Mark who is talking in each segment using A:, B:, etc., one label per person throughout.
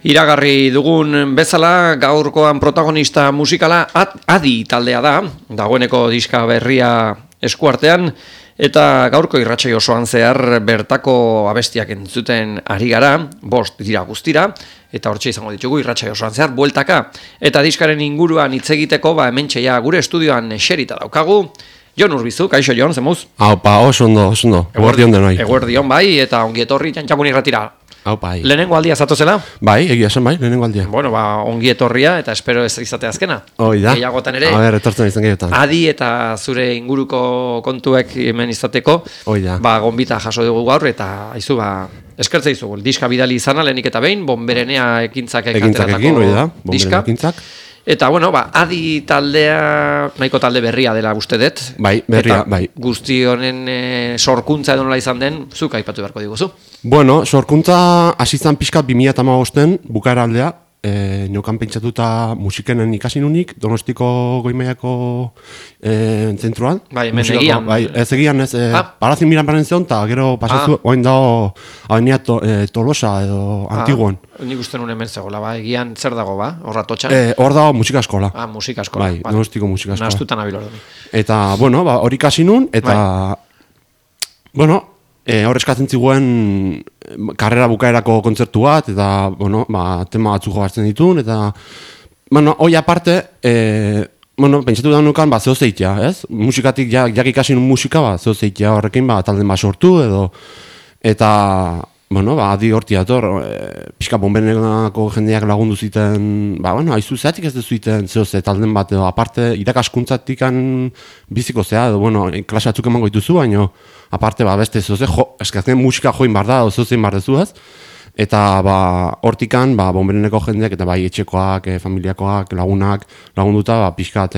A: Iragarri dugun bezala, gaurkoan protagonista musikala Adi taldea da, dagoeneko diska berria eskuartean, eta gaurko irratsai osoan zehar bertako abestiak entzuten ari gara, 5 dira guztira, eta hortxe izango ditugu irratsai osoan zehar bueltaka. Eta diskaren inguruan hitz egiteko, hementxe ja gure estudioan eserita daukagu, Jon Urbizu, kaixo Jon, zemuz?
B: Aupa, oso ondo. Eguerdion denoi.
A: Eguerdion bai, eta ongi etorri Jantxakun irratira.
B: Aupa, bai.
A: Lehenengo aldia zatozela?
B: Bai, egia esan bai, lehenengo aldia.
A: Bueno, ongi etorria, eta espero ez izate azkena.
B: Hoi da.
A: Gehiagotan ere.
B: A ber, etortzen izan gehiotan.
A: Adi eta zure inguruko kontuek hemen izateko.
B: Hoi da.
A: Gonbita jaso dugu gaur, eta aizu, eskertze izugu. Diska bidali izana, lehenik eta behin, Bonberenea ekintzak ateratako diska.
B: Ekintzak.
A: Eta, Adi taldea, nahiko talde berria dela uste dut.
B: Bai, berria, bai.
A: Guzti honen sorkuntza edo nola izan den, zuk aipatu beharko diguzu.
B: Bueno, sorkuntza hasi zan pixka 2015 bukaera aldea, neukan pentsatuta musikenen ikasi nunik, Donostiko Goi-Mailako zentruan.
A: Bai, hemen egian.
B: Bai, ez egian, parazin miran baren zion, eta gero pasatu, oin dago, Avenida Tolosa edo Antiguan.
A: Nik uste nuen hemen zegoela, egian zer dago, horra totxan?
B: Hor dago musika eskola.
A: Musika eskola.
B: Bai, Donostiko musika eskola.
A: Nastutan abil hori.
B: Eta, hori ikasi nun, eta, hor eskatzen ziguen karrera bukaerako kontzertu bat, eta, tema batzuk jogartzen ditun, eta, hoi aparte, pentsatu da nukan, zeo zeitea, ez? Musikatik, jak ikasi nun musika, zeo zeitea horrekin, talden bat sortu, edo, eta, Adi horti dator, pixka Bonbereneko jendeak lagundu ziten, haizu zeatik ez dezuiten zeo ze talden bat, edo, aparte, irakaskuntzatik biziko zea, edo, klase batzuk emango dituzu, baina, aparte, beste zeo ze, eskazken musika join bar da, zeo zein bar dezu ez, eta, hortikan, Bonbereneko jendeak, eta bai etxekoak, familiakoak, lagunduta, pixkat,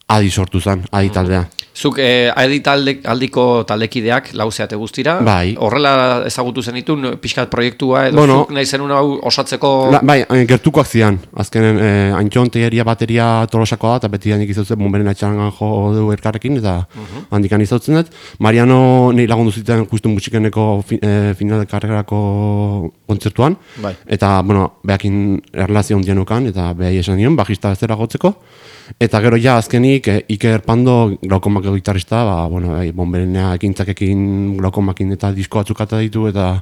B: Adi sortu zen, Adi taldea.
A: Zuk Adi aldiko taldekideak lauzeate guztira,
B: bai.
A: Horrela ezagutu zenitun pixkat proiektua, edo zuk nahi zenun hau osatzeko...
B: Bai, gertukoak zidan, azkenen Antxon tegeria bateria Tolosakoa da, eta beti handik izautzen Bonberen atxarangan jo dugu elkarrekin, eta handikan izautzen dut. Mariano nahi lagundu ziten justu musikeneko final de karrerako kontzertuan, eta, behakin erlazio ondian ukan, eta behai esan nion, bajista bezera gotzeko. Eta gero ja azkenik Iker Pando glaukomako gitarrista, Bonberenea ekintzakekin glaukomakin eta disko batzukata ditu, eta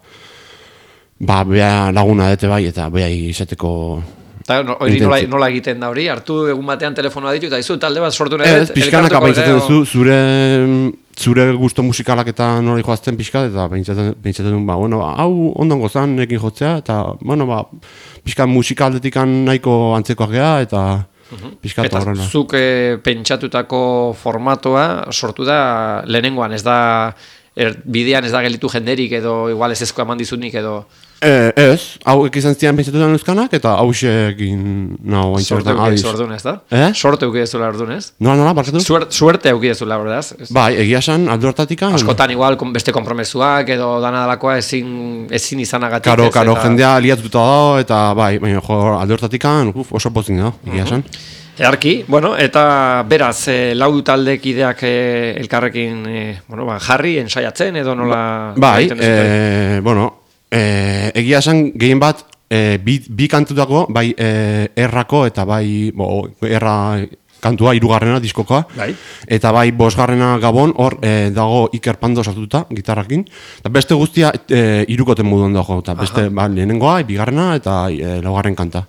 B: beha laguna dute bai, eta beha izateko...
A: Eta hori nola egiten da hori, hartu egun batean telefonoa ditu, eta izu talde bat sortu nahi dut...
B: Ez, pixkanak apaintzaten duzu, zure gusto musikalak eta nola joazten pixkat, eta pentsatzen duen, hau ondongo zan ekin jotzea, eta, pixkat musikaldetik nahiko antzekoak geha, eta...
A: Eta zuk pentsatutako formatoa sortu da lehenengoan, ez da bidean ez da gelitu jenderik edo igual ez ezko eman dizunik edo...
B: Ez, hau izan zian pentsatutan euskanak eta hau egin naho baintxortan adiz.
A: Sorte eukidezula ordun, ez da? Sorte eukidezula ordun, ez?
B: Nola, barkatu?
A: Suerte eukidezula, verdaz?
B: Bai, egia esan, aldo hortatikan...
A: Askotan igual beste konpromesuak edo dana dalakoa ezin izanagatik.
B: Karo, jendea liatututa dago eta bai, baina aldo hortatikan oso pozik dago, egia esan.
A: Earki, eta beraz, lau taldekideak elkarrekin jarri, ensaiatzen edo nola...
B: Bai, egia esan gehien bat bi kantutako, bai errako eta bai erra kantua 3. diskokoa, eta bai 5. Gabon hor dago Iker Pando sartuta gitarrakin, eta beste guztia 3 moduan dago, eta beste lehenengoa, 2. eta 4. kanta.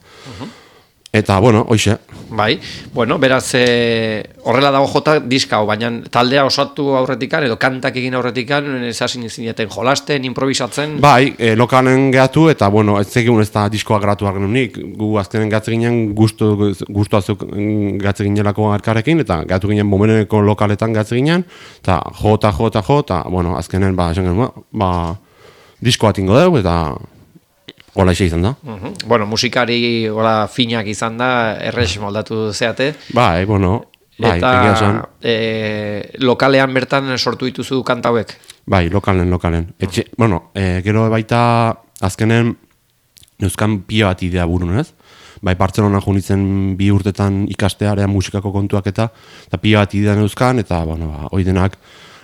B: Eta, hoixe.
A: Bai, beraz, horrela dago jota diska hau, baina taldea osatu aurretikan, edo kantak egin aurretikan, esasin zineten jolasten, improvisatzen?
B: Bai, lokalen gehatu, eta, ez egun ez da diskoa gratu argen unik. Gu azkenen gehatze ginen, guztu azuk gehatze ginelako arkarekin, eta gehatu ginen Bonbereneko lokaletan gehatze ginen, eta jota, azkenen, diskoa tingo dugu, eta... Hola izan da.
A: Musikari finak izan da, errex moldatu zeate.
B: Bai, egia esan.
A: Eta lokalean bertan sortu dituzu kantauek?
B: Bai, lokalen. Gero baita azkenen neuzkan pia bat idea burun, ez? Bai, Bartzelona junitzen 2 urtetan ikastearea musikako kontuak eta pia bat idea neuzkan, eta, hoi denak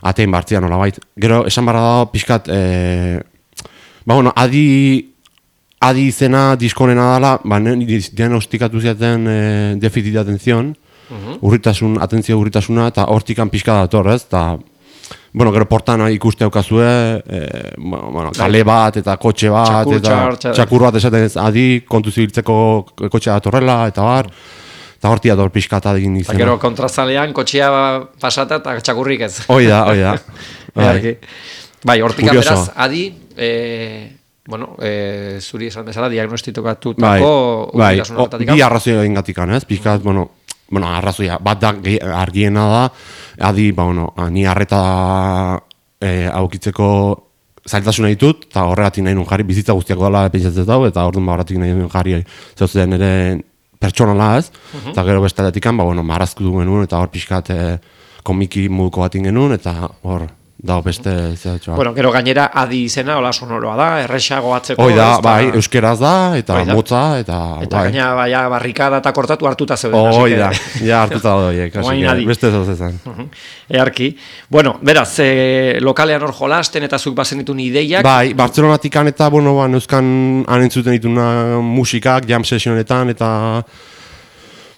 B: atein bartzian, hola bait. Gero, esan barra da, pixkat, Adi adi izena diskonena dela, ba, diagnostikatu ziaten defizit de atención, atentzio urritasuna, eta hortikan pixka dator, ez? Ta, bueno, gero portan ikuste aukazue, bueno, kale bat, eta kotxe bat, txakur bat esaten ez, adi, kontu zibiltzeko kotxea datorrela, eta bar, eta horti dator pixka eta egin izena.
A: Gero kontrazalean kotxea pasata eta txakurrik ez.
B: Hoi da.
A: Bai, hortikan beraz, adi, bueno, zuri esan bezala diagnostikatutako urritasun horretatik.
B: Bi arrazoi egin gatikan, ez? Pixkat, bueno, arrazoia, bat da argiena da, adi, ni arreta aukitzeko zailtasuna ditut, eta horregatik nahi nun jarri, bizitza guztiako dela pentsatzen dau, eta orduan horregatik nahi nun jarri zeuzen ere pertsonala ez, eta gero bestaletik marrazku du genuen, eta hor pixkat komiki moduko bat genuen, eta hor, dago beste zehatxoa.
A: Bueno, gero gainera adi izena, hola sonoroa da, erresago atzeko.
B: Hoi da, bai, euskeraz da, eta motza, eta
A: gaina baina barrikada eta kortatu hartuta zeuden.
B: Hoi da, ja hartuta doiek, beste ez ezan.
A: Earki. Bueno, beraz, lokalean hor jolasten eta zuk bazen ditun ideiak.
B: Bai, Bartzelonatikan eta, euskan anentzuten dituna musikak, jam sesionetan, eta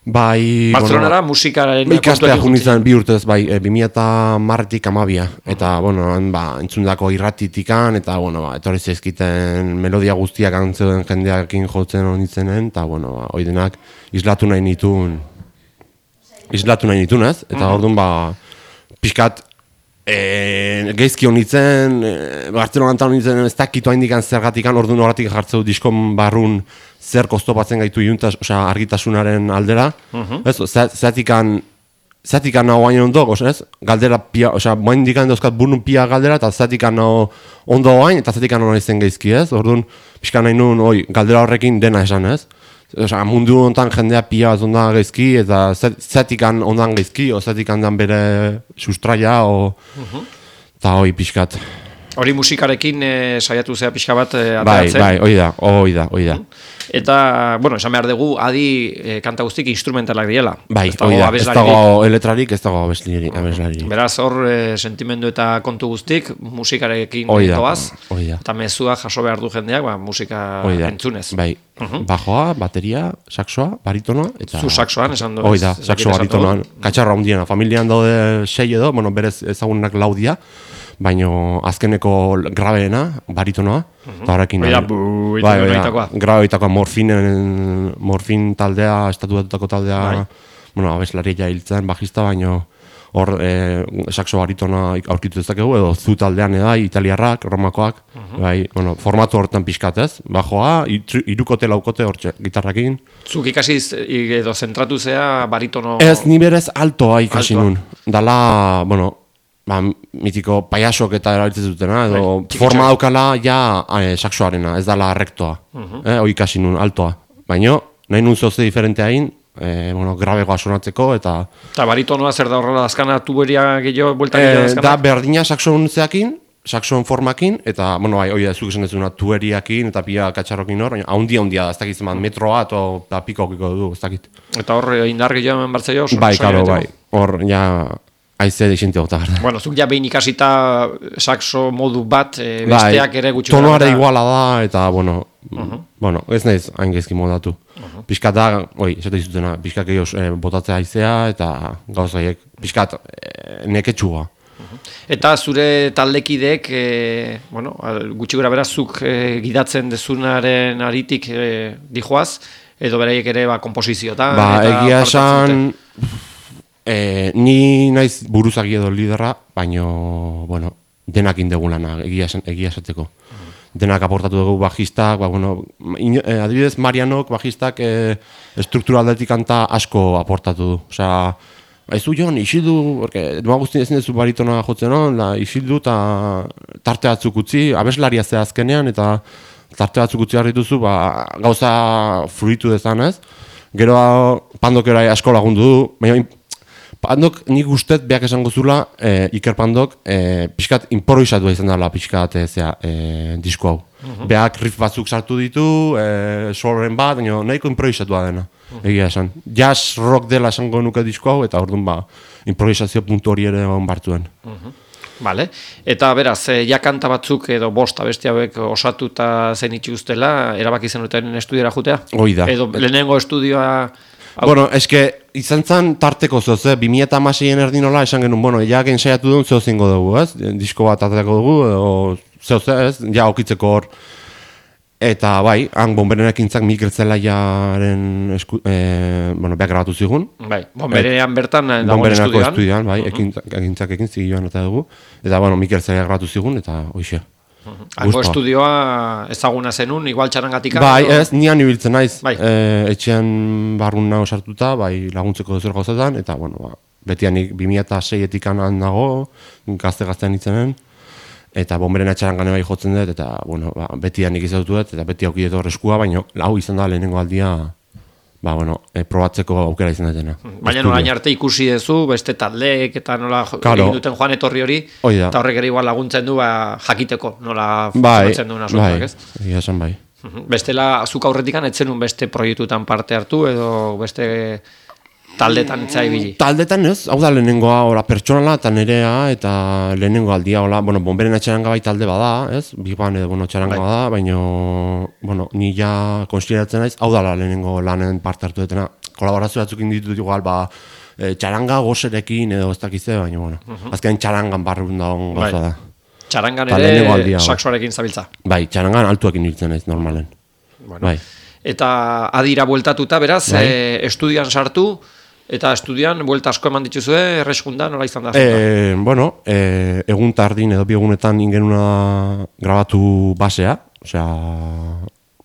B: bai,
A: Bartzelonara musikaren
B: ikastea junitzen bi urtez, bai, 2010-tik 12, eta, entzundako irratitikan, eta, etorri zezkiten melodia guztiak antzeuden jendeakin jotzen honitzenen, eta, oidenak islatu nahi nitun ez, eta orduan, pixkat, geizki honitzen, Bartzelonatan honitzen ez dakitu haindikan zergatikan, orduan horretik jartzeu diskon barrun zer kostopatzen gaitu argitasunaren aldera, zatikan naho hain ondo, galdera pia, moain dikan dauzkat burnun pia galdera, eta zatikan naho ondo hain, eta zatikan naho izan geizki, orduan, pixka nahi nun, galdera horrekin dena esan, mundu honetan jendea pia bat ondan geizki, eta zatikan ondan geizki, o zatikan dan bere sustraia, eta pixkat.
A: Hori musikarekin saiatu zea pixka bat ateratzen.
B: Bai, hoi da.
A: Eta, esan behar dugu, adi kanta guztik instrumentalak diela.
B: Bai, hoi da, ez dago eletrarik, ez dago abeslari.
A: Beraz, hor sentimendu eta kontu guztik musikarekin doaz, eta mezua jaso behar du jendeak, musika entzunez.
B: Bai, bajoa, bateria, saxoa, baritonoa.
A: Zu saxoan, esan du.
B: Hoi da, saxoa baritonoan, katxarra hundiena. Familian daude 6 edo, berez ezagunak laudia, baino azkeneko grabeena, baritonoa, eta horrekin grabeitakoa morfin taldea, estatuatutako taldea, abeslaria hiltzen, bajista, baino hor saxo baritonoa aurkitu dezakegu, edo zu taldean italiarrak, romakoak, formatu horretan pixkatez, bajoa, irukote, laukote hortxe, gitarrakin.
A: Zuk ikasi edo zentratu zea baritono...
B: Ez, ni berez altoa ikasi nun. Dala, mitiko paiasok eta erabiltzen dutena, edo forma daukala saxoarena, ez dala rektoa, hoi ikasi nun, altoa. Baina, nahi nun zoze diferentea hain, grabegoa sonatzeko, eta...
A: Eta baritonoa zer da horrela azkana tuberia gehiago, buelta gehiago azkana?
B: Da berdina saxon zeakin, saxon formakin, eta, hoi da, zuk esan dezuna tueriakin, eta pia katxarrokin hor, baina haundia da, ez dakit zeman, metroa, eta pikokiko du, ez dakit.
A: Eta hor, indar gehiago hemen bartzaio?
B: Bai, karo, bai, hor, aize dixente gota.
A: Bueno, zuk ja behin ikasita saxo modu bat, besteak ere gutxi.
B: Tonoare iguala da, eta, ez nahiz hain gezki modatu. Piskat da, esate izutena, piskat gehiago botatzea aizea, eta gauzaiek, piskat neketxua.
A: Eta zure taldekideek, gutxi gora berazuk gidatzen dezunaren aritik dijoaz, edo beraiek ere komposiziotan.
B: Egia esan... ni naiz buruzagi edo liderra, baino, denak indegu lana, egia esateko. Denak aportatu dugu bajistak, adibidez Marianok bajistak struktura aldetik kanta asko aportatu du. Osea, baizu Jon, isildu, duma guztien ezin dezu baritona jotzen hon, isildu eta tarte batzuk utzi, abeslaria ze azkenean, eta tarte batzuk utzi harrituzu, gauza fruitu dezan ez. Gero Pandok ere asko lagundu du, baina Pandok nik ustet beak esango zula, Iker Pandok, pixkat improvisatua izan dela pixkat disko hau. Beak riff batzuk sartu ditu, soloren bat, baina nahiko improvisatua dena, egia esan. Jazz rock dela esango nuke disko hau, eta orduan improvisazio puntu hori ere honbartuen.
A: Vale. Eta beraz, ja kanta batzuk edo bost abesti hauek osatuta zenituztela, erabaki zenuten estudiora jutea?
B: Hoi da.
A: Edo lehenengo estudioa...
B: Bueno, eske, izan zen tarteko zoz, 2006-en erdinola esan genuen, bueno, ja ensaiatu duen zeo zingo dugu, ez? Disko bat aterako dugu, edo zeo ez? Ja okitzeko hor. Eta bai, han Bonberen ekintzak Mikel Zelaiaren beak grabatu zigun.
A: Bai, Bonberenean bertan dagoen
B: Bonberenako estudioan, bai, ekintzak ekin zigiloan eta dugu. Eta, bueno, Mikel Zelaia grabatu zigun, eta hoxe.
A: Hango estudioa ezaguna zenun, igual txarangatik.
B: Bai, ez, nian ibiltzen naiz.
A: Bai.
B: Etxean barruna osartuta, bai, laguntzeko zer gauzetan, eta, bueno, betianik 2006-etik anan dago, gazte-gaztean itzenen. Eta Bonberen atxarangan bai jotzen dut, eta, bueno, betianik izautu dut, eta beti aukidet horreskua, baina hau izan da lehenengo aldia, probatzeko aukera izan dutena.
A: Baina orain arte ikusi duzu, beste taldeek eta nola egin duten joan etorri hori, eta horrek ere igual laguntzen du jakiteko, nola funtzionatzen duen asuntoak, ez?
B: Bai, esan bai.
A: Bestela, zuk aurretikan etzenun beste proiektutan parte hartu, edo beste taldetan etzai bili?
B: Taldetan ez, hau da lehenengoa pertsonala eta nerea, eta lehenengo aldia, bueno, Bonberen atxaranga bai talde bada, ez? Biban edo, atxaranga bada, baina, bueno, ni ja konsideratzen naiz, hau da lehenengo lanen parte hartu detena. Kolaborazio batzuk inditut igual, txaranga gozerekin edo ez dakize, baina, bueno, azkenean txarangan barrun dagoen gauza da.
A: Txarangan ere saxoarekin zabiltza?
B: Bai, txarangan altuakin nintzen naiz, normalen. Bai.
A: Eta adira bueltatuta, beraz, estudian sartu, eta estudian, buelta asko eman dituzue, erreskundan, nola izan da?
B: Bueno, egun tardin edo biegunetan ingenuna grabatu basea, osea,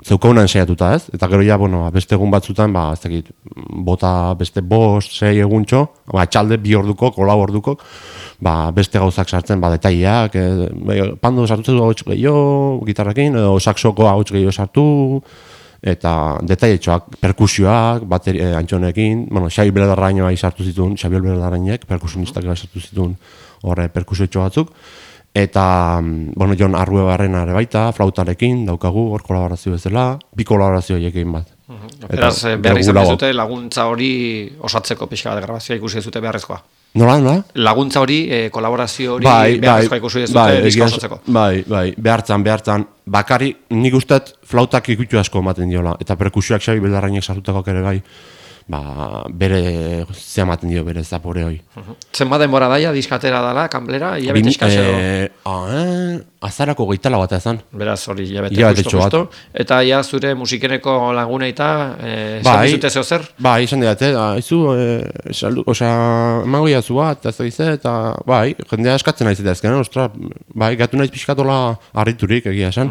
B: zeukauna ensaiatuta ez, eta gero ja, bueno, beste egun batzutan, ez dakit, bota beste 5-6 eguntxo, txalde 2 orduko, kolau orduko, beste gauzak sartzen, detaileak, pando sartu hau gehiago, gitarrekin, edo saxoko hau gehiago sartu, eta detailetxoak, perkusioak, antxonekin, bueno, Xabi Beldarraino sartu zituen, Xabiel Beldarrainek, perkusionistak sartu zituen horre perkusioetxo batzuk, eta, bueno, Jon Arruebarrena ere baita, flautarekin, daukagu, hor kolaborazio bezala, 2 kolaborazio ekin bat.
A: Beraz, behar izan bezute laguntza hori osatzeko pixka bat grabazioa ikusi ezute beharrezkoa.
B: Nola?
A: Laguntza hori, kolaborazio hori beharrezkoa ikusi ezute diska osatzeko.
B: Bai, behartzan. Bakari, nik usteet flautak ikutu asko ematen diola, eta perkusioak Xabi Beldarrainek sartutako ere bai, bere ze ematen dio, bere zapore hoi.
A: Zenbat denbora daia, diskatera dala, kanplera, hilabete eskaxedo?
B: Azarako 24 bat ezan.
A: Beraz, hori hilabete justo. Eta ja zure musikeneko laguneita, esan dizute zeo zer?
B: Bai, esan didate, emango jazu bat, eta bai, jendea eskatzen naiz eta ezken, gatu naiz pixkatola harriturik egia esan.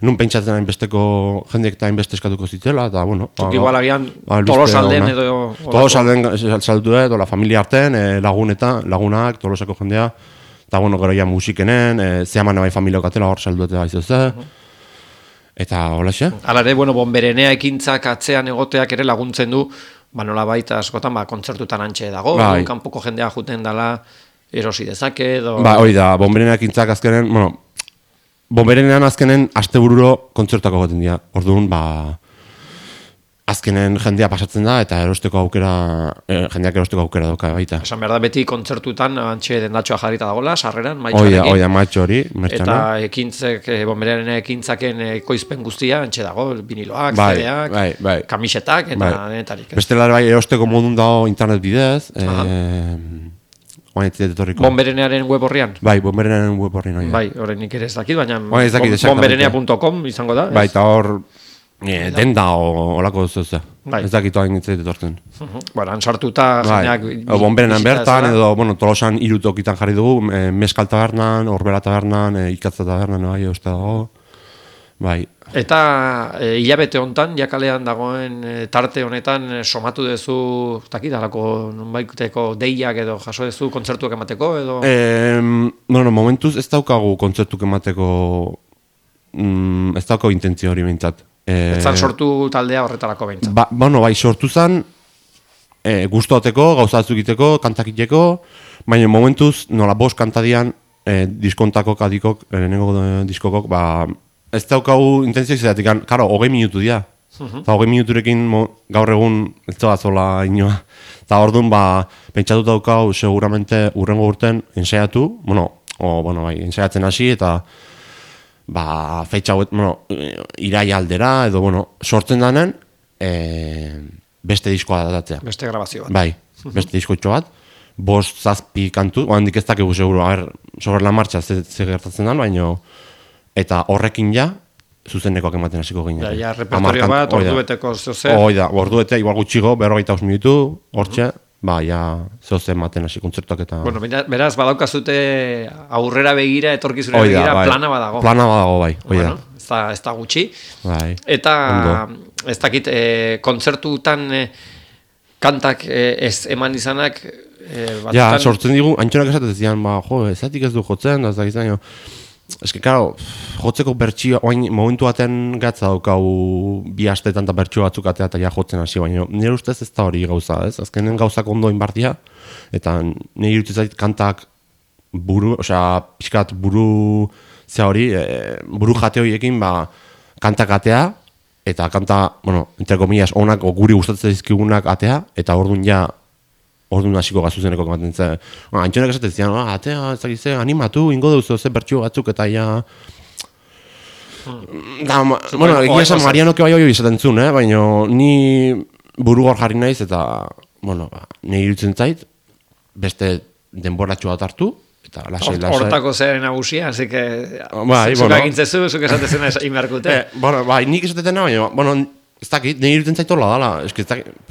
B: Nun pentsatzen hainbesteko jendeek eta hainbeste eskatuko zitzela, eta bueno.
A: Igual agian Tolosalden edo...
B: Tolosalden saldu edo, la familia arten, lagunak, Tolosako jendea, eta bueno, gero ja musikenen, zehaman bai familiak atela hor saldu eta gaizu ze, eta hola xe.
A: Hala ere, bueno, Bonberenea ekintzak atzean egoteak ere laguntzen du, nola baita askotan, kontzertutan antxe dago, kanpoko jendea juten dela erosi dezake, edo...
B: Hori da, Bonberenea ekintzak azkenen, bueno, Bonberenean azkenen astebururo kontzertuako goten dira, orduan, azkenen jendea pasatzen da, eta jendeak erosteko aukera dauka baita.
A: Esan behar da, beti kontzertutan antxe dendatxoa jarrita dagoela, sarreran,
B: maitxoarekin. Oida, maitxo hori, mertxana.
A: Eta ekintzek, Bonberean ekintzaken ekoizpen guztia, antxe dago, viniloak, CD-ak, kamisetak, eta denetarik.
B: Bestela bai, erosteko modun dago internet bidez,
A: Bonberenearen web horrian?
B: Bai, Bonberenearen web horrian.
A: Bai, horrenik ere ez dakit, baina bonberenea.com izango da.
B: Bai, eta hor... denda olako zeuze. Ez dakitu hain nintzait etortzen.
A: Bueno, han sartuta jeneak...
B: Bonberenan bertan, edo, Tolosan 3 tokitan jarri dugu, Meskal tabernan, Orbera tabernan, Ikatza tabernan, uste dago. Bai.
A: Eta hilabete hontan, jakalean dagoen tarte honetan, somatu duzu, dakidalako nonbaiteko deiak edo jaso duzu kontzertuak emateko, edo...
B: Momentuz ez daukagu kontzertuak emateko, ez daukagu intentzio hori behintzat.
A: Ez zan sortu taldea horretarako behintzat.
B: Bai, sortu zan, guztoteko, gauzatzuk egiteko, kantakiteko, baina momentuz, nola 5 kantadian, diskontako adikok, lehenengo diskokok, ez daukagu intentzioak zeratik, karo, 20 minutu dira. Eta 20 minuturekin gaur egun ez da zola inoa. Eta orduan, pentsatu daukau, seguramente, urrengo urten ensaiatu, bueno, bai, ensaiatzen hasi, eta feitxa hauet, bueno, iraia aldera, edo, bueno, sortzen danen, beste diskoa datatzea.
A: Beste grabazio bat.
B: Bai, beste diskoitxo bat, 5-7 kantu, handik ez dakigu seguro, sobre la marcha ze gertatzen dan, baina, eta horrekin ja, zuzenekoak ematen hasiko ginen.
A: Ja, repertorio bat, ordubeteko zoze.
B: Ordubete, igual gutxigo, 45 minutu, hortxe, ja, zoze ematen hasi kontzertuak eta...
A: Bueno, beraz, badaukazute aurrera begira, etorkizunera begira,
B: bai.
A: plana badago.
B: Plana badago, bai,
A: bueno, ez da gutxi.
B: Bai.
A: Eta, ez dakit, kontzertutan kantak ez eman izanak...
B: Ja, sortzen digu, antxonak esaten zian, ezatik ez du jotzen, da ez dakit zaino... Ez que, karo, jotzeko bertxio, oain momentu baten gatza daukau 2 astetan eta bertxio batzuk atea eta ja jotzen hasi, baina nire ustez ez da hori gauza, ez? Azkenen gauzak ondo inbartia, eta nire iruditzen zait kantak pixkat buru jate horiekin, kantak atea, eta kanta, bueno, entre comillas, onak, guri gustatzen dizkigunak atea, eta orduan hasiko gazuzeneko ematen ze. Antxonak esaten zian, atea, ez dakize, animatu, ingo duzu ze bertxio batzuk, eta ja... Bueno, egia esan Marianoke bai esaten zuen, baina ni buru hor jarri naiz, eta, bueno, nire irutzen zait, beste denboratxo bat hartu, eta lasai.
A: Hortako zeren nagusia, así que... Zuk agintzezu, zuk esatezena inberkute.
B: Bai, nik esatetena, baina, bueno, ez dakit, nire irutzen zaitola dala, eske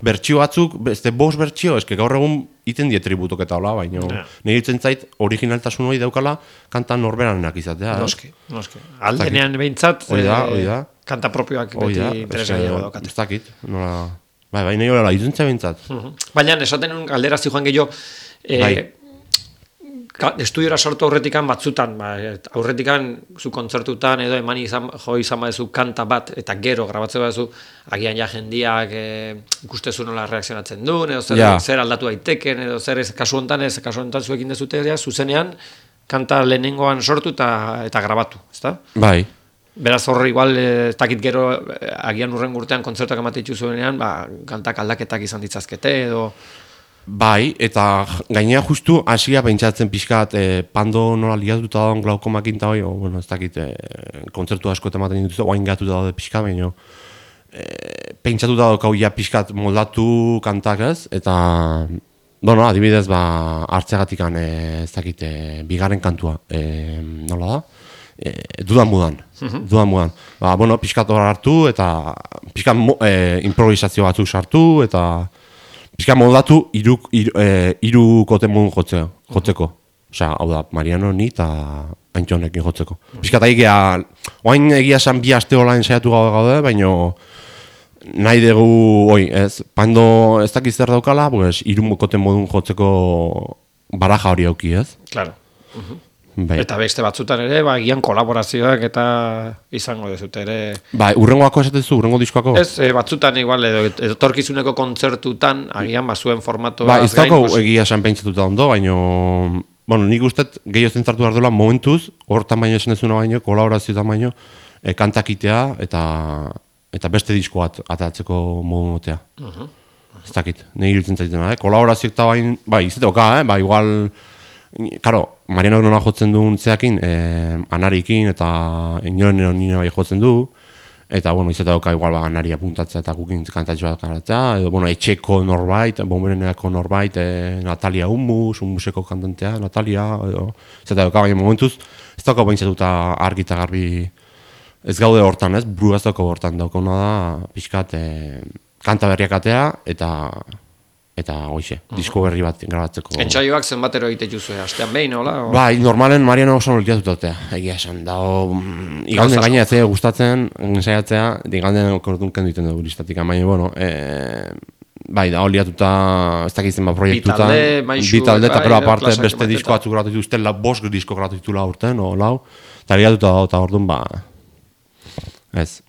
B: bertxio batzuk, beste 5 bertxio, eske gaur egun iten die tributok eta hola, baina nire irutzen zait originaltasun hori daukala kanta norberanenak izatea.
A: Noski. Aldenean behintzat, kanta propioak beti interesgarriago daukate.
B: Ez dakit, nola... Bai, nire horrela, irutzen zait behintzat.
A: Baina, esaten un galdera zijoan gehiago, estudiora sortu aurretikan batzutan, aurretikan zu kontzertutan edo eman izan badezu kanta bat eta gero grabatzen badezu agian ja jendiak ikustezu nola reakzionatzen duen edo zer aldatu daiteken edo zer kasu honetan zuekin dezute zuzenean kanta lehenengoan sortu eta grabatu, ezta?
B: Bai.
A: Beraz horre igual ez dakit gero agian urren urtean kontzertuak ematen zuenean kantak aldaketak izan ditzazkete edo...
B: Bai, eta gainera justu hasia pentsatzen pixkat pando nola liatuta dagoen glaukomakin eta bueno, ez dakit kontzertu asko ematen dituzte, oain gatuta daude pixka, baina pentsatuta daukau ja pixkat moldatu kantak ez, eta bueno, adibidez, hartzeagatikan ez dakit, bigarren kantua, nola da? Dudan mudan. Bueno, pixkat hor hartu, eta pixkat improvisazio batzuk sartu, eta pixka moldatu hiru kote modun jotzeko. Osea, hau da, Mariano, ni eta Antxonekin jotzeko. Pixka eta oain egia esan 2 aste hola ensaiatu gaude, baina nahi dugu, pando ez dakiz zer daukala, hiru kote modun jotzeko baraja hori auki, ez?
A: Claro. Eta beste batzutan ere, gian kolaborazioak eta izango dezute ere... Bai,
B: urrengoako esatezu, urrengo diskoako?
A: Ez, batzutan igual, edo torkizuneko kontzertutan, agian bazuen formatoa...
B: Ez dago egia esan pentsatuta ondo, baina... Bueno, nik ustet gehiago zentzartu behar duela momentuz, hortan baino esan ezuna baino, kolaborazioetan baino, kantakitea eta beste disko bat atatzeko modu motea. Ez dakit, nahi irutzen zaitena, kolaborazioek eta bai, izateoka, igual... Karo, Marianok nola jotzen duen zeakin, anarikin eta inoren nire bai jotzen du, eta, bueno, izate dauka igual anari apuntatzea eta gukin kantatxo bat karatzea, edo, bueno, etxeko norbait, bombereneko norbait, Natalia Humuseko kantantea, Natalia, edo, izate dauka, baina momentuz, ez dauka baintzatuta argi eta garbi, ez gaude hortan, ez, buru ez dauka hortan daukona da, pixkat, kanta berriak atea, eta hoxe, disko berri bat grabatzeko.
A: Entsaioak zenbatero egite juzu, astean behin, hola?
B: Bai, normalen Mariano oso nolkiatu dute, egia esan, iganden gaina ez gustatzen, ensaiatzea, iganden okordunken duten dugu listatik, baina, bueno, bai, da, oliatuta, ez dakitzen proiektuta, bi talde, eta pero aparte beste disko batzuk grabatu dituzten, 5 disko grabatu ditula urten, eta liatuta da, eta orduan, ez.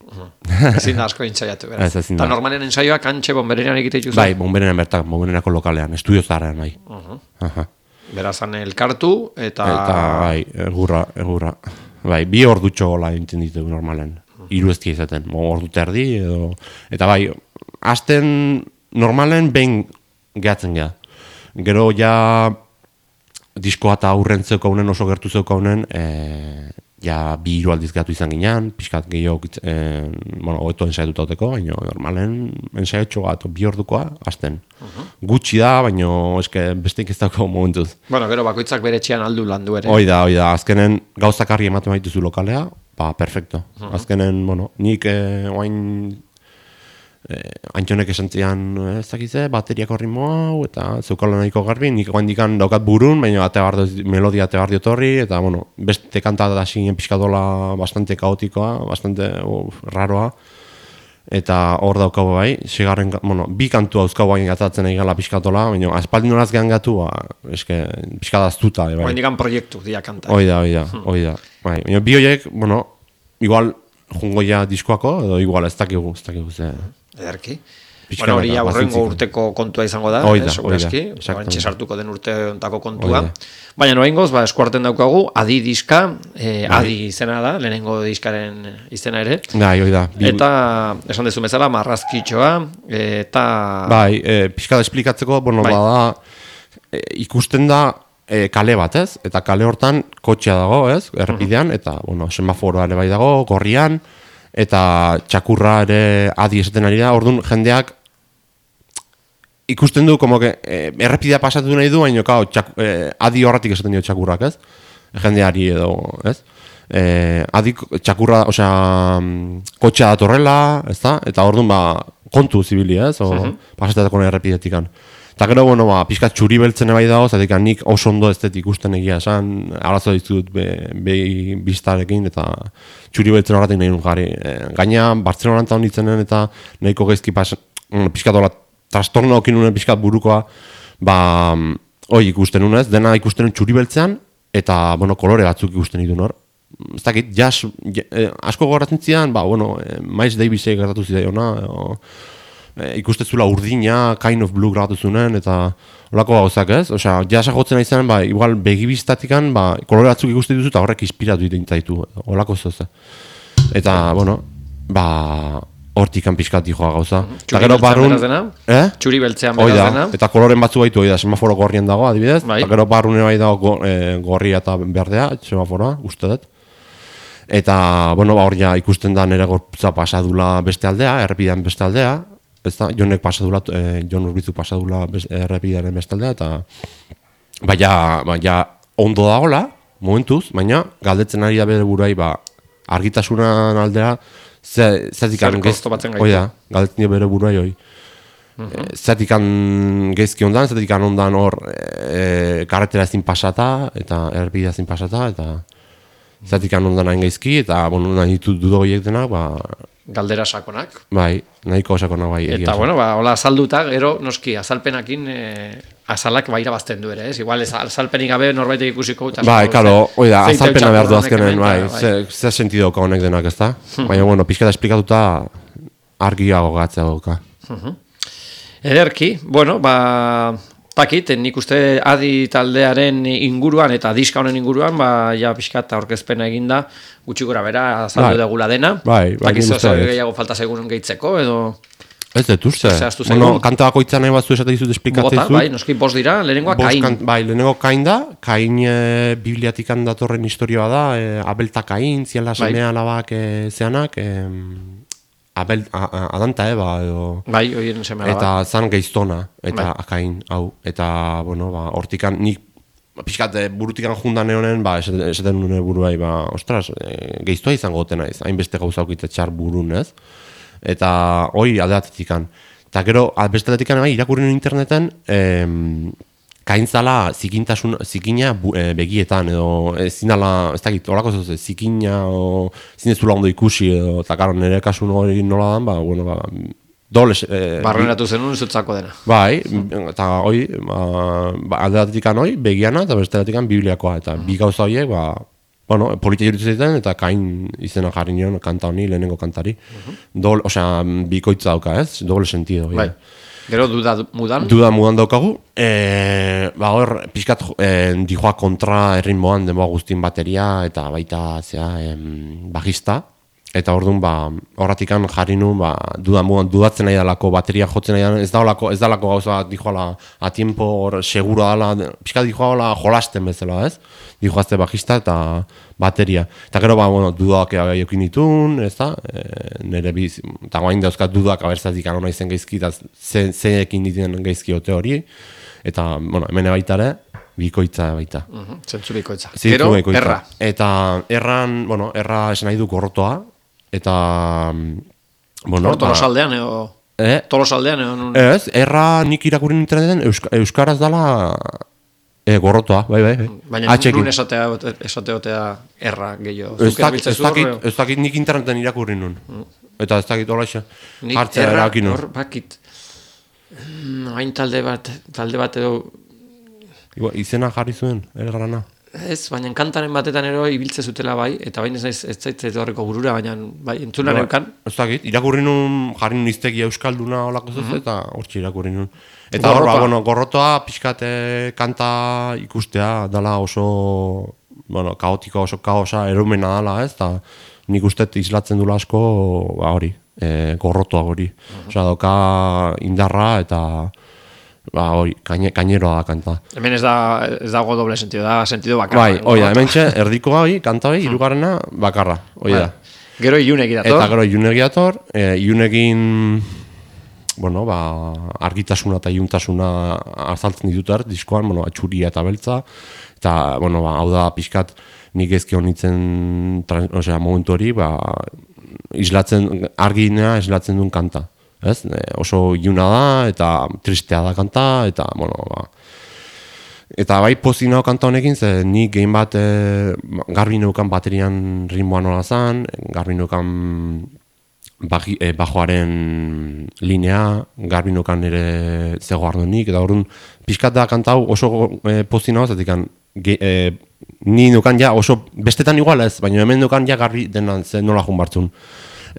A: Ezin da asko ensaiatu, beraz. Eta normalen ensaioak antxe bomberenean egite dituzu?
B: Bai, bomberenean bertak, bomberenako lokalean, estudio zaharrean, bai.
A: Berazan elkartu, eta...
B: bai, egurra. Bai, 2 ordutxo gola enten ditu normalen. 3 eztia izaten, ordu terdi, edo... Eta bai, hasten normalen behin gehatzen geha. Gero ja... diskoa eta aurren zeukaunen, oso gertu zeukaunen, ja 2 aldiz gatu izan ginean, pixkat gehiago, hobeto ensaiatuta hauteko, baina normalen ensaiatxo bat, 2 ordukoa, azten. Gutxi da, baina eske besteik ez dago momentuz.
A: Bueno, gero bakoitzak bere etxean aldu landu ere.
B: Hoi da, azkenen gauzak argi ematen baituzu lokalea, perfecto. Azkenen, nik oain Antxonek esan zian, ez dakize, bateriako ritmo hau, eta zeukala nahiko garbi, nik oaindikan daukat burun, baina melodia ate bardio torri, eta, beste kanta da zinen pixkadola bastante kaotikoa, bastante raroa, eta hor daukago bai, segarren, 2 kantu hauzkago bain gatatzen nahi gala pixkatola, baina aspaldin horaz gehan gatu, eske, pixkadaztuta.
A: Oaindikan proiektu dia kanta.
B: Hoi da. Bai, baina bi horiek, igual jungo ja diskoako, edo igual ez dakigu ze...
A: Ederki. Bueno, hori aurrengo urteko kontua izango da, segurazki, bantxe sartuko den urte ontako kontua. Baina noaingoz, eskuarten daukagu, Adi diska, Adi izena da, lehenengo diskaren izena ere.
B: Hoi da.
A: Eta, esan dezu bezala, marrazkitxoa, eta...
B: Bai, pixka da esplikatzeko, bada, ikusten da kale bat, ez? Eta kale hortan kotxea dago, ez? Errepidean, eta, semaforoa ere bai dago, gorrian, eta txakurra ere Adi esaten ari da, orduan jendeak ikusten du, errepidea pasatu nahi du, baina Adi horretik esaten dio txakurrak, ez? Jendeari edo, ez? Adi txakurra, kotxea datorrela, ez da? Eta orduan, kontu zibili, ez? Pasatetako errepidetikan. Eta gero, pixkat txuri beltzen bai dago, zatik nik oso ondo ez ikusten egia esan, arazo ditut behi biztarekin, eta txuri beltzen horretik nahi nun jarri. Gaina, Bartzelona eta honitzenen eta nahiko gaizki pixkat hola trastorno okin nunen pixkat burukoa, ikusten nunez, dena ikusten nun txuri beltzean, eta, kolore batzuk ikusten idun hor. Ez dakit, asko gogoratzen zidan, Miles Davisek gertatu zidaiona, ikustezula urdina, kind of blue grabatu zunen, eta holako gauzak ez? Osea, jasa jotzen nahi zen, igual begibiztatikan, kolore batzuk ikuste dituzu eta horrek inspiratu egiten zaitu, holako zoze. Eta, hortikan pixkat dijoa gauza.
A: Txuri beltzean beraz dena? Txuri beltzean beraz dena?
B: Eta koloren batzu baitu, semaforo gorrien dago, adibidez, eta gero barrune bai dago gorria eta berdea, semaforoa, uste dut. Eta, hor ja ikusten da nire gorputza pasadula beste aldea, errepidean beste aldea, Jonek pasadula, Jon Urbizuk pasadula errepidearen bestaldea, eta baina ondo dagoela, momentuz, baina galdetzen ari da bere buruai, argitasunan aldera, zertikan galdetzen dio bere buruai hoi. Zertikan gezki ondan, zertikan ondan hor karretera ezin pasata, eta errepidea ezin pasata, eta zertikan ondan hain gezki, eta nahi ditut dudo horiek denak,
A: galdera sakonak.
B: Bai, nahiko sakonak bai.
A: Eta, hola azalduta, gero, noski, azalpenakin azalak irabazten du ere, ez? Igual, azalpenik gabe norbaitek ikusiko.
B: Bai, karo, azalpena behar du azkenen, zer sentidoka honek denak, ez da? Baina, pixketa esplikatuta argiago gatzea dauka.
A: Ederki, takit, nik uste Adi taldearen inguruan eta diska honen inguruan, ja pixkat aurkezpena eginda, gutxi gora bera, azaldu degula dena. Takit gehiago falta segun gehitzeko, edo...
B: Ez dut uste. Kanta bakoitza nahi batzu esate dizut esplikatzen zu.
A: Noski bost dira, lehenengoa Kain.
B: Lehenengo Kain da, Kain bibliatikan datorren historioa da, Abel eta Kain, ziala semea alabak zeanak, Adanta Eba edo...
A: Bai, horien semea
B: eta zan geiztona, eta Kain, hau. Eta, hortikan, nik pixkat burutikan jundan ehonen, esaten nune buruai, ostras, geiztoa izango goten naiz, hainbeste gauza aukitze txar burun, ez? Eta hoi aldeatetikan. Eta gero, bestaletikan irakurren interneten, kaintzala zikina begietan, edo zinala, ez dakit, horako zoze, zikina, zinezula ondo ikusi, edo, eta karo, nire kasun hori nola dan, doble...
A: Barreneratu zenun zutzako dena.
B: Bai, eta hoi, aldeatetikan hoi, begiana, eta bestaletikan bibliakoa, eta bi gauza horiek, politia juritu zaiten, eta Kain izena jarri nion kanta honi, lehenengo kantari. Osea, bikoitza dauka, ez? Doble sentido.
A: Bai. Gero duda mudan?
B: Duda mudan daukagu. Hor, pixkat dijoa kontra erritmoan denboa guztien bateria, eta baita, bajista. Eta orduan, horratikan jarri nun, dudatzen nahi dalako, bateria jotzen nahi dalako, ez dalako gauza, dijoala, a tiempo, seguro dala, pixka dijoala jolasten bezala, ez? Dijoazte bajista eta bateria. Eta gero, dudak jokin ditun, ez da? Nire biz, eta guain dauzkat dudak abertzatik anona izen gaizki, eta zenekin dituen gaizki ote hori. Eta, hemen baitare, bikoitza baita.
A: Zentzu bikoitza.
B: Gero, erra. Eta erran, erra esan nahi du gorrotoa, eta...
A: Tolosaldean, Tolosaldean,
B: Ez, erra nik irakurri interneten euskaraz dala gorrotoa, bai.
A: Baina nun esateotea erra gehiago.
B: Ez dakit nik interneten irakurri nun. Eta ez dakit hola isa. Hartzea erakin nun.
A: Hor, bakit. Hain talde bat edo...
B: Izena jarri zuen, errana.
A: Ez, baina kantaren batetan ero ibiltze zutela bai, eta baina ez zaitze horreko burura, baina bai, entzunan eukan.
B: Ez dakit, irakurri nun, jarri nun iztegia euskalduna olako zuz, eta hortxe irakurri nun. Eta hor, gorrotoa, pixkate kanta ikustea, dala oso, kaotiko, oso kaosa, erumena dala, ez, eta nik ustet islatzen dula asko, hori, gorrotoa hori. Osa, doka indarra, eta... hori, kaineroa da kanta.
A: Hemen ez dago doble sentido, da sentido bakarra.
B: Bai, oida, hemen erdiko hori, kanta hori, hirugarrena bakarra, oida.
A: Gero ilunegi dator.
B: Eta gero ilunegi dator, ilunegin, argitasuna eta iluntasuna azaltzen ditut diskoan, atxuria eta beltza, eta, hau da, pixkat, nik ezki honitzen, momentu hori, arginea islatzen duen kanta. Ez? Oso iluna da, eta tristea da kanta, eta, eta bai pozina kanta honekin, ze nik gehin bat garbi neukan baterian ritmoa nola zan, garbi neukan bajoaren linea, garbi neukan ere zego ardonik, eta horren pixkat da kanta hau oso pozina hau, zatik ni neukan ja oso, bestetan igual ez, baina hemen neukan ja garbi denan ze nola jun bartzun.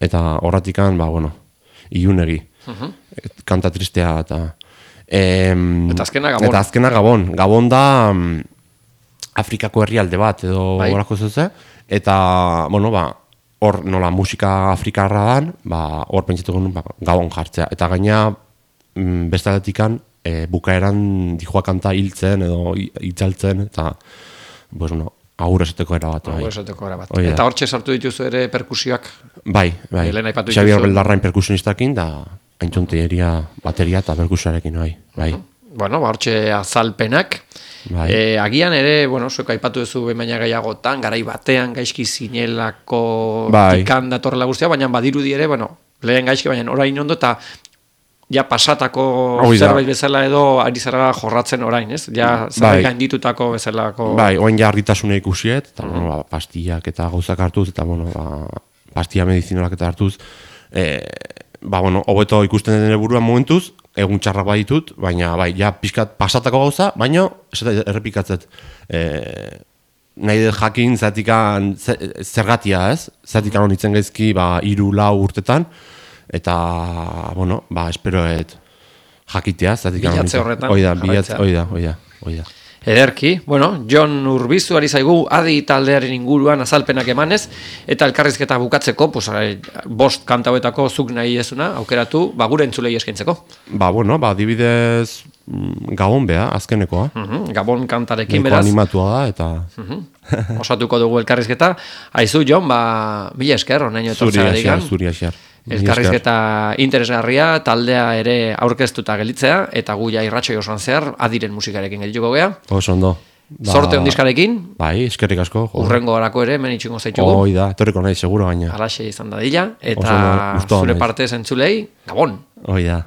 B: Eta horratikan, ilunegi, kanta tristea, eta
A: azkena Gabon.
B: Eta azkena Gabon. Gabon da Afrikako herrialde bat, edo horako zuze, eta, hor nola musika afrikarra dan, hor pentsatuko nun, Gabon jartzea. Eta gaina, bestaletikan, bukaeran dijoa kanta hiltzen, edo itzaltzen, eta, agur esateko era bat.
A: Eta hortxe sartu dituzu ere perkusioak?
B: Bai. Xabier Beldarrain perkusionistakin, da haintzonteria, bateria eta perkusioarekin, bai.
A: Hortxe azalpenak. Agian ere, zuek aipatu duzu baina gehiagotan, garai batean gaizki zinelako tikan datorrela guztia, baina badirudi ere, lehen gaizki, baina orain ondo, eta ja pasatako zerbait bezala edo ari zara jorratzen orain, ez? Ja zerbait gainditutako bezalako...
B: Bai, oain ja argitasuna ikusiet, eta pastillak eta gauzak hartuz, eta pastilla medizinolak eta hartuz, hobeto ikusten den buruan momentuz, egun txarrak baditut, baina ja pixkat pasatako gauza, baina errepikatzet nahi dut jakin zatikan zergatia, ez? Zatikan honitzen gaizki 3-4 urtetan, eta, esperoet jakitea, zatikan
A: bilatze horretan.
B: Oida.
A: Ederki, Jon Urbizu ari zaigu adi taldearen inguruan azalpenak emanez, eta elkarrizketa bukatzeko, 5 kanta hauetako zuk nahi ezuna, aukeratu, gure entzulei eskaintzeko.
B: Adibidez Gabon beha, azkenekoa.
A: Gabon kantarekin, beraz.
B: Animatua da, eta...
A: Osatuko dugu elkarrizketa. Aizu, Jon, mila esker, onaino etortzea
B: Zuri asiar.
A: Elkarrizketa interesgarria, taldea ere aurkeztuta gelitzea, eta gu ja irratxoi osoan zehar, adiren musikarekin gelituko gea.
B: Oso ondo.
A: Sorte ondizkarekin.
B: Bai, eskerrik asko.
A: Urrengo horako ere, menitxungo zaitugu.
B: Da, torriko nahi, seguro gaina.
A: Alaxe izan dadila, eta zure partez entzulei, Gabon.
B: Da.